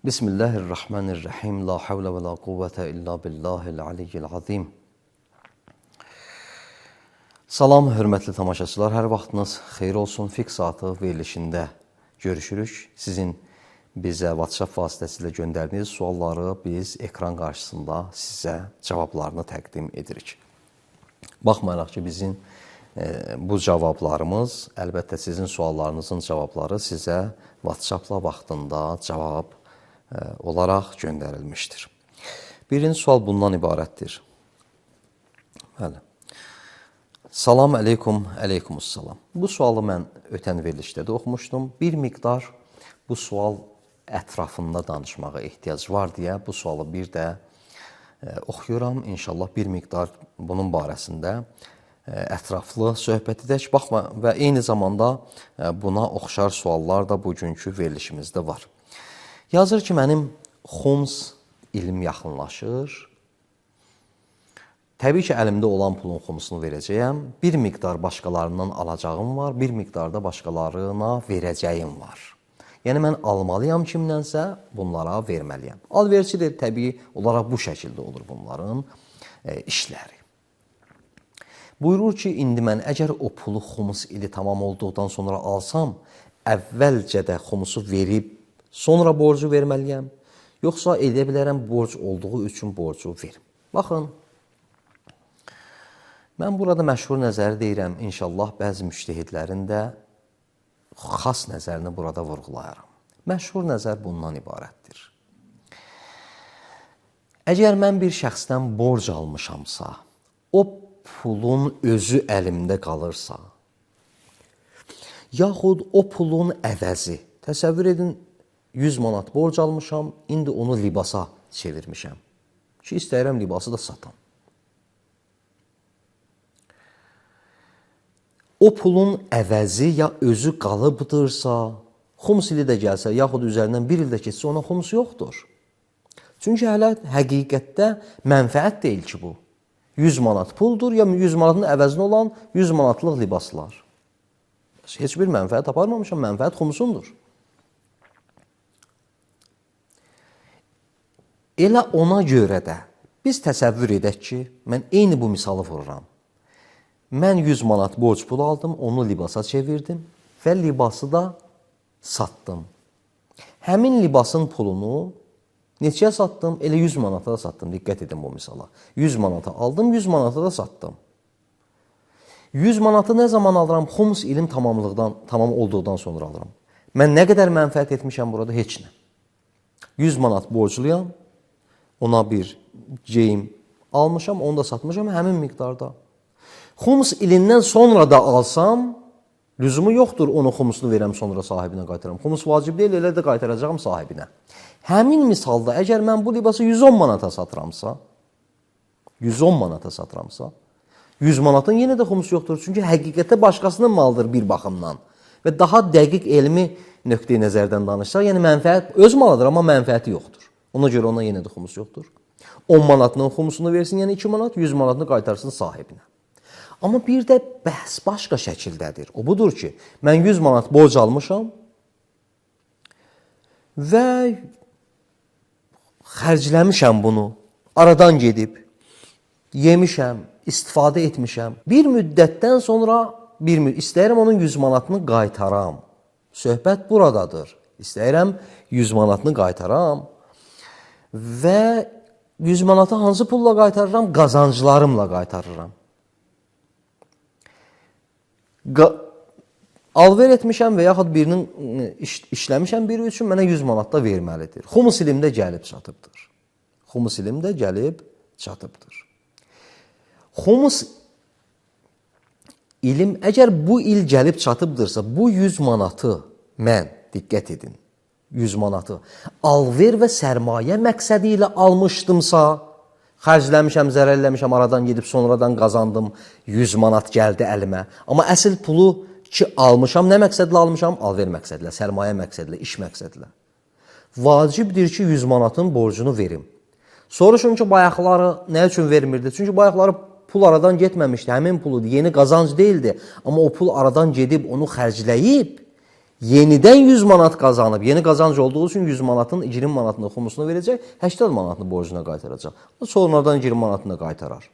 Bismillahirrahmanirrahim. La havle ve la kuvvete illa billahil aliyyil azim. Salam, hörmətli tamaşaçılar. Hər vaxtınız xeyir olsun. Fiqh saatı verilişində görüşürük. Sizin bizə WhatsApp vasitəsilə göndərdiyiniz sualları biz ekran qarşısında sizə cavablarını təqdim edirik. Baxmayaraq ki, bizim bu cavablarımız, əlbəttə sizin suallarınızın cavabları sizə WhatsApp-la vaxtında cavab olaraq göndərilmişdir. Birinci sual bundan ibarətdir. Bəli. Salam əleykum, əleykumussalam. Bu sualı mən ötən verilişdə də oxumuşdum. Bir miqdar bu sual ətrafında danışmağa ehtiyac var deyə bu sualı bir də oxuyuram. İnşallah bir miqdar bunun barəsində ətraflı söhbət edək. Baxma və eyni zamanda buna oxşar suallar da bugünkü verilişimizdə var. Yazır ki, mənim xums ilim yaxınlaşır. Təbii ki, əlimdə olan pulun xumsunu verəcəyəm. Bir miqdar başqalarından alacağım var, bir miqdar da başqalarına verəcəyim var. Yəni, mən almalıyam kimdənsə, bunlara verməliyəm. Alverçidir, təbii olaraq bu şəkildə olur bunların işləri. Buyurur ki, indi mən əgər o pulu xumus ili tamam olduqdan sonra alsam, əvvəlcə də xumusu verib, sonra borcu verməliyəm, yoxsa edə bilərəm borc olduğu üçün borcu verim. Baxın, mən burada məşhur nəzəri deyirəm, inşallah bəzi müştəhidlərin də xas nəzərini burada vurğulayaram. Məşhur nəzər bundan ibarətdir. Əgər mən bir şəxsdən borc almışamsa, o pulun özü əlimdə qalırsa, yaxud o pulun əvəzi, təsəvvür edin, 100 manat borc almışam, indi onu libasa çevirmişəm ki, istəyirəm libası da satam. O pulun əvəzi ya özü qalıbdırsa, xums ili də gəlsə, yaxud üzərindən bir il də keçsə, ona xums yoxdur. Çünki hələ həqiqətdə mənfəət deyil ki, bu. 100 manat puldur, ya 100 manatın əvəzinə olan 100 manatlıq libaslar. Heç bir mənfəət aparmamışam, mənfəət xumsundur. Elə ona görə də biz təsəvvür edək ki, mən eyni bu misalı vururam. Mən 100 manat borc pul aldım, onu libasa çevirdim və libası da satdım. Həmin libasın pulunu neçəyə satdım? Elə 100 manata da satdım, diqqət edin bu misala. 100 manata aldım, 100 manata da satdım. 100 manatı nə zaman alıram? Xums ilim tamam olduqdan sonra alıram. Mən nə qədər mənfəət etmişəm burada? Heç nə. 100 manat borcluyam. Ona bir geyim almışam, onu da satmışam həmin miqdarda. Xums ilindən sonra da alsam, lüzumu yoxdur, onu xumsunu verəm, sonra sahibinə qaytaram. Xums vacib deyil, elə də qaytaracağım sahibinə. Həmin misalda, əgər mən bu libası 110 manata satıramsa, 100 manatın yenə də xums yoxdur. Çünki həqiqətdə başqasının malıdır bir baxımdan. Və daha dəqiq elmi nöqteyi nəzərdən danışsaq, yəni mənfəət öz malıdır, amma mənfəəti yoxdur. Ona görə ona yenə də xumus yoxdur. 10 manatının xumusunu versin, yəni 2 manat, 100 manatını qaytarsın sahibinə. Amma bir də bəhs başqa şəkildədir. O budur ki, mən 100 manat borc almışam və xərcləmişəm bunu, aradan gedib, yemişəm, istifadə etmişəm. Bir müddətdən sonra istəyirəm onun 100 manatını qaytaram. Söhbət buradadır. İstəyirəm 100 manatını qaytaram. Və 100 manatı hansı pulla qaytarıram? Qazanclarımla qaytarıram. Alver etmişəm və yaxud birinin işləmişəm biri üçün mənə 100 manat da verməlidir. Xumus ilimdə gəlib çatıbdır. Xumus ilimdə gəlib çatıbdır. Xumus ilim əgər bu il gəlib çatıbdırsa, bu 100 manatı mən, diqqət edin, 100 manatı alver və sərmayə məqsədi ilə almışdımsa, xərcləmişəm, zərər eləmişəm, aradan gedib sonradan qazandım, 100 manat gəldi əlimə. Amma əsl pulu ki almışam, nə məqsədlə almışam? Alver məqsədilə, sərmayə məqsədilə, iş məqsədilə. Vacibdir ki, 100 manatın borcunu verim. Soruşun ki, bayaqları nə üçün vermirdi? Çünki bayaqları pul aradan getməmişdi, həmin puludur, yeni qazanc deyildi. Amma o pul aradan gedib, onu xərcləyib, yenidən 100 manat qazanıb, yeni qazanc olduğu üçün 100 manatın 20 manatını xumusunu verəcək, 80 manatını borcuna qaytaracaq. Sonradan 20 manatını qaytarar.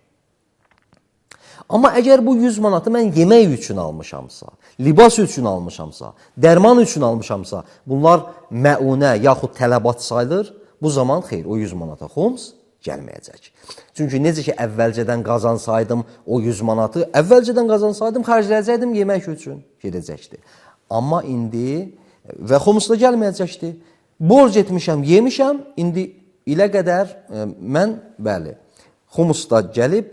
Amma əgər bu 100 manatı mən yemək üçün almışamsa, libas üçün almışamsa, dərman üçün almışamsa, bunlar məunə yaxud tələbat sayılır, bu zaman xeyr, o 100 manata xums gəlməyəcək. Çünki necə ki, əvvəlcədən qazansaydım o 100 manatı, əvvəlcədən qazansaydım, xərcləyəcəkdim yemək üçün gedəcəkdi. Amma indi və xumus da gəlməyəcəkdi. Borc etmişəm, yemişəm, indi ilə qədər mən, bəli, xumus da gəlib,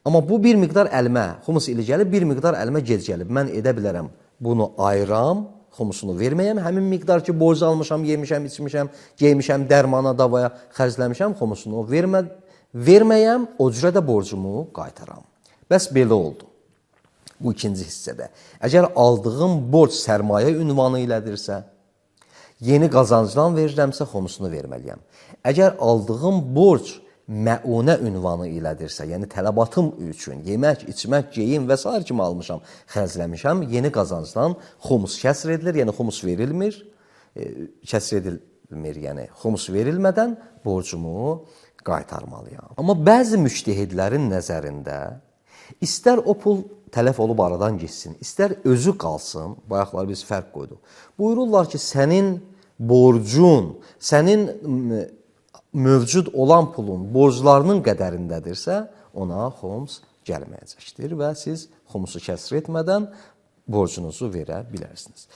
amma bu bir miqdar əlimə, xumus ilə gəlib, bir miqdar əlimə gec gəlib. Mən edə bilərəm, bunu ayıram, xumusunu verməyəm, həmin miqdar ki, borc almışam, yemişəm, içmişəm, geymişəm, dərmana, davaya xərcləmişəm, xumusunu verməyəm, o cürə də borcumu qaytaram. Bəs belə oldu. Bu ikinci hissədə. Əgər aldığım borc sərmayə ünvanı ilədirsə, yeni qazancdan verirəmsə, xumusunu verməliyəm. Əgər aldığım borc məunə ünvanı ilədirsə, yəni tələbatım üçün, yemək, içmək, geyim və s. kimi almışam, xərcləmişəm, yeni qazancdan xumus kəsr edilir, yəni xumus verilmir, kəsr edilmir, yəni xumus verilmədən borcumu qaytarmalıyam. Amma bəzi müştəhidlərin nəzərində istər o pul tələf olub aradan geçsin, istər özü qalsın, bayaqları biz fərq qoyduq. Buyururlar ki, sənin borcun, sənin mövcud olan pulun borclarının qədərindədirsə, ona xums gəlməyəcəkdir və siz xumusu kəsr etmədən borcunuzu verə bilərsiniz.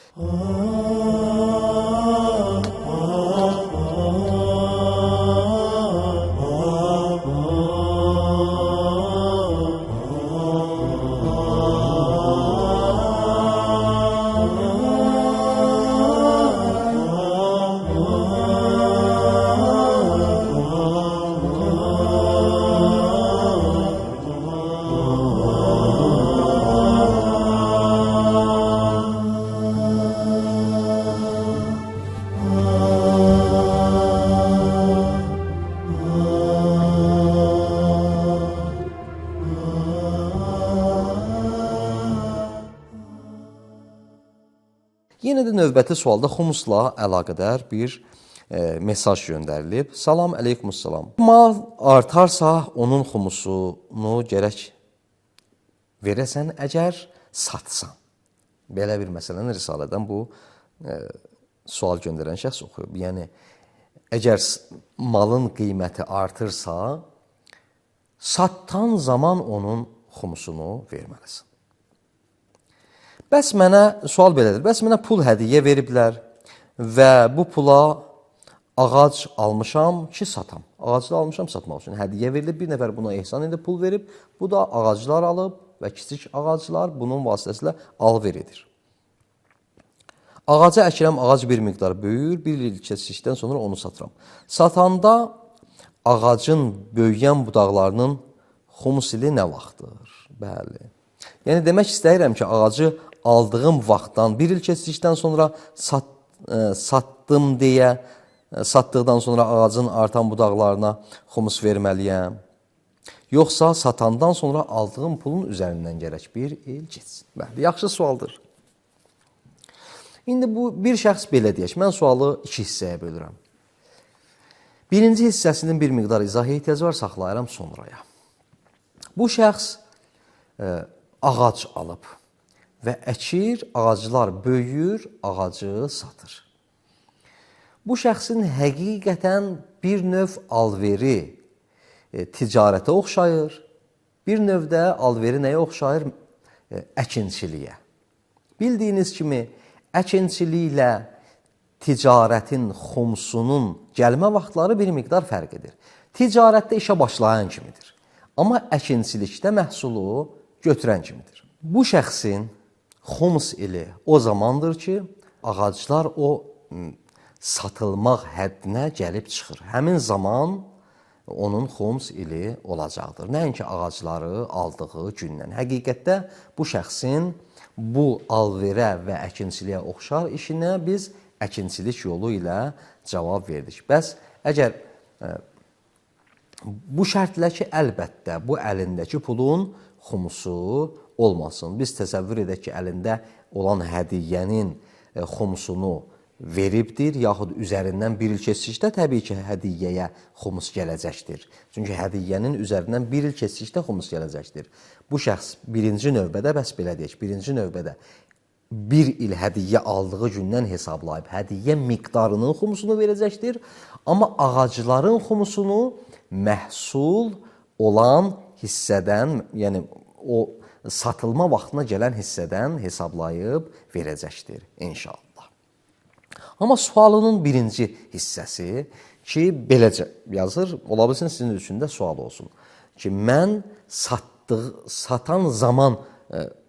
Yenə də növbəti sualda xumusla əlaqədar bir mesaj göndərilib. Salam, əleykumussalam. Mal artarsa onun xumusunu gərək verəsən əgər satsan. Belə bir məsələni Risalədən bu sual göndərən şəxs oxuyub. Yəni, əgər malın qiyməti artırsa, sattan zaman onun xumusunu verməlisin. Bəs mənə, sual belədir, bəs mənə pul hədiyyə veriblər və bu pula ağac almışam ki, satam. Ağacı da almışam satmaq üçün. Hədiyyə verilib, bir nəfər buna ehsan edib, pul verib, bu da ağaclar alıb və kiçik ağaclar bunun vasitəsilə alver edir. Ağacı əkirəm, ağac bir miqdar böyür, bir il keçdikdən sonra onu satıram. Satanda ağacın böyüyən budaqlarının xumus ili nə vaxtdır? Bəli. Yəni, demək istəyirəm ki, ağacı aldığım vaxtdan, bir il keçdikdən sonra satdım deyə, satdıqdan sonra ağacın artan budaqlarına xumus verməliyəm. Yoxsa satandan sonra aldığım pulun üzərindən gərək bir il keçsin. Bəli, yaxşı sualdır. İndi bu bir şəxs belə deyək, mən sualı iki hissəyə bölürəm. Birinci hissəsinin bir miqdar izah ehtiyacı var, saxlayıram sonraya. Bu şəxs ağac alıb və əkir, ağaclar böyüyür, ağacı satır. Bu şəxsin həqiqətən bir növ alveri ticarətə oxşayır, bir növdə alveri nəyə oxşayır? Əkinçiliyə. Bildiyiniz kimi, əkinçiliklə ticarətin xumsunun gəlmə vaxtları bir miqdar fərq edir. Ticarətdə işə başlayan kimidir. Amma əkinçilikdə məhsulu götürən kimidir. Bu şəxsin xums ili o zamandır ki, ağaclar o satılmaq həddinə gəlib çıxır. Həmin zaman onun xums ili olacaqdır. Nəinki ağacları aldığı gündən. Həqiqətdə bu şəxsin bu alverə və əkinçiliyə oxşar işinə biz əkinçilik yolu ilə cavab verdik. Bəs əgər bu şərtlə ki, əlbəttə bu əlindəki pulun xumusu olmasın. Biz təsəvvür edək ki, əlində olan hədiyyənin xumusunu veribdir, yaxud üzərindən bir il keçdikdə təbii ki, hədiyyəyə xumus gələcəkdir. Çünki hədiyyənin üzərindən bir il keçdikdə xumus gələcəkdir. Bu şəxs birinci növbədə, bəs belə deyək, birinci növbədə bir il hədiyyə aldığı gündən hesablayıb hədiyyə miqdarının xumusunu verəcəkdir. Amma ağacların xumusunu məhsul olan hissədən, yəni o satılma vaxtına gələn hissədən hesablayıb verəcəkdir inşallah. Amma sualının birinci hissəsi ki, beləcə yazır, ola bilsin sizin üçün də sual olsun ki, mən satan zaman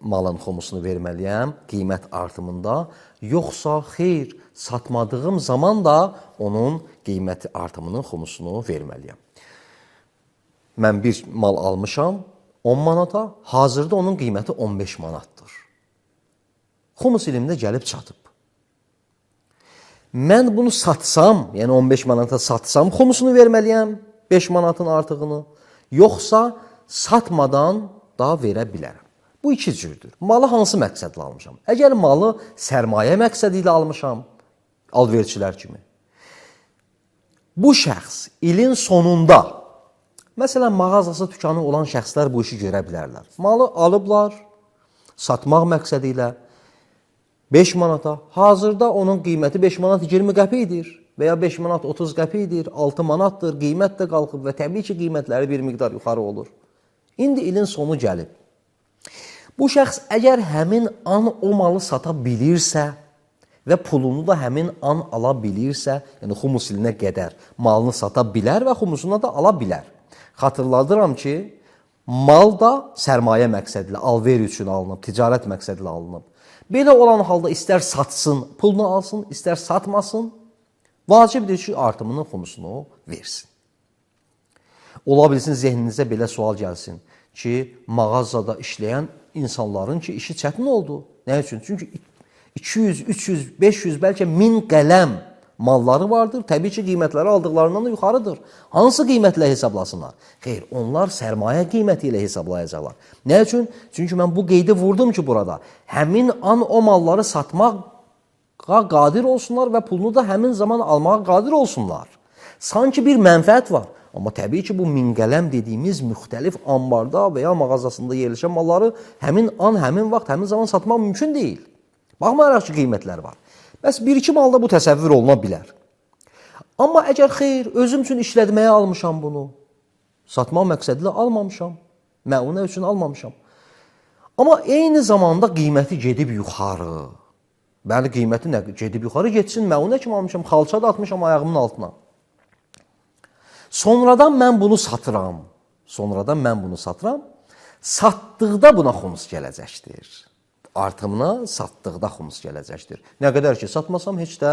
malın xumusunu verməliyəm qiymət artımında, yoxsa xeyr, satmadığım zaman da onun qiyməti artımının xumusunu verməliyəm. Mən bir mal almışam 10 manata, hazırda onun qiyməti 15 manatdır. Xumus ilimdə gəlib çatıb. Mən bunu satsam, yəni 15 manata satsam, xumusunu verməliyəm 5 manatın artığını, yoxsa satmadan daha verə bilərəm. Bu iki cürdür. Malı hansı məqsədlə almışam? Əgər malı sərmayə məqsədi ilə almışam, alverçilər kimi, bu şəxs ilin sonunda, məsələn, mağazası, dükanı olan şəxslər bu işi görə bilərlər. Malı alıblar, satmaq məqsədi ilə 5 manata, hazırda onun qiyməti 5 manat 20 qəpidir və ya 5 manat 30 qəpidir, 6 manatdır, qiymət də qalxıb və təbii ki, qiymətləri bir miqdar yuxarı olur. İndi ilin sonu gəlib. Bu şəxs əgər həmin an o malı sata bilirsə və pulunu da həmin an ala bilirsə, yəni xumus ilinə qədər malını sata bilər və xumusuna da ala bilər. Xatırladıram ki, mal da sərmayə məqsədilə, alver üçün alınıb, ticarət məqsədilə alınıb. Belə olan halda istər satsın, pulunu alsın, istər satmasın, vacibdir ki, artımının xumusunu versin. Ola bilsin, zehninizə belə sual gəlsin ki, mağazada işləyən insanların ki, işi çətin oldu. Nə üçün? Çünki 200, 300, 500, bəlkə 1000 qələm malları vardır. Təbii ki, qiymətləri aldıqlarından da yuxarıdır. Hansı qiymətlə hesablasınlar? Xeyr, onlar sərmayə qiyməti ilə hesablayacaqlar. Nə üçün? Çünki mən bu qeydi vurdum ki, burada həmin an o malları satmağa qadir olsunlar və pulunu da həmin zaman almağa qadir olsunlar. Sanki bir mənfəət var. Amma təbii ki, bu 1000 qələm dediyimiz müxtəlif ambarda və ya mağazasında yerləşən malları həmin an, həmin vaxt, həmin zaman satmaq mümkün deyil. Baxmayaraq ki, qiymətlər var. Bəs bir-iki malda bu təsəvvür oluna bilər. Amma əgər xeyr, özüm üçün işlətməyə almışam bunu, satmaq məqsədilə almamışam, məunə üçün almamışam. Amma eyni zamanda qiyməti gedib yuxarı. Bəli, qiyməti nə? Gedib yuxarı getsin, məunə kimi almışam, xalça da atmışam ayağımın altına. Sonradan mən bunu satıram. Satdıqda buna xumus gələcəkdir. Artımına satdıqda xumus gələcəkdir. Nə qədər ki, satmasam heç də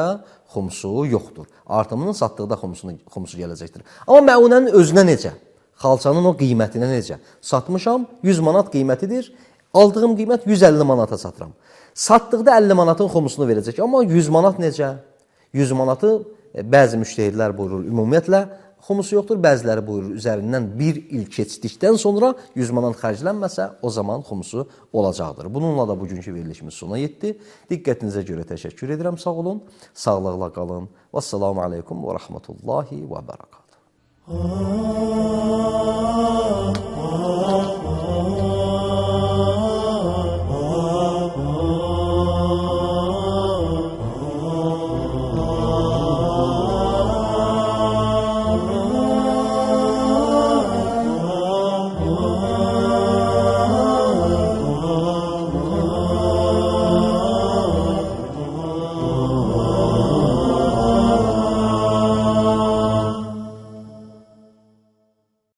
xumusu yoxdur. Artımının satdıqda xumusu gələcəkdir. Amma məunənin özünə necə? Xalçanın o qiymətinə necə? Satmışam, 100 manat qiymətidir. Aldığım qiymət 150 manata satıram. Satdıqda 50 manatın xumusunu verəcək. Amma 100 manat necə? 100 manatı bəzi müştəhidlər buyurur, ümumiyyətlə xumusu yoxdur, bəziləri buyurur, üzərindən bir il keçdikdən sonra 100 manat xərclənməsə, o zaman xumusu olacaqdır. Bununla da bugünkü verilişimiz sona yetdi. Diqqətinizə görə təşəkkür edirəm, sağ olun, sağlıqla qalın. Vəssalamu aleykum və rəhmətullahi və bərəkatuhu.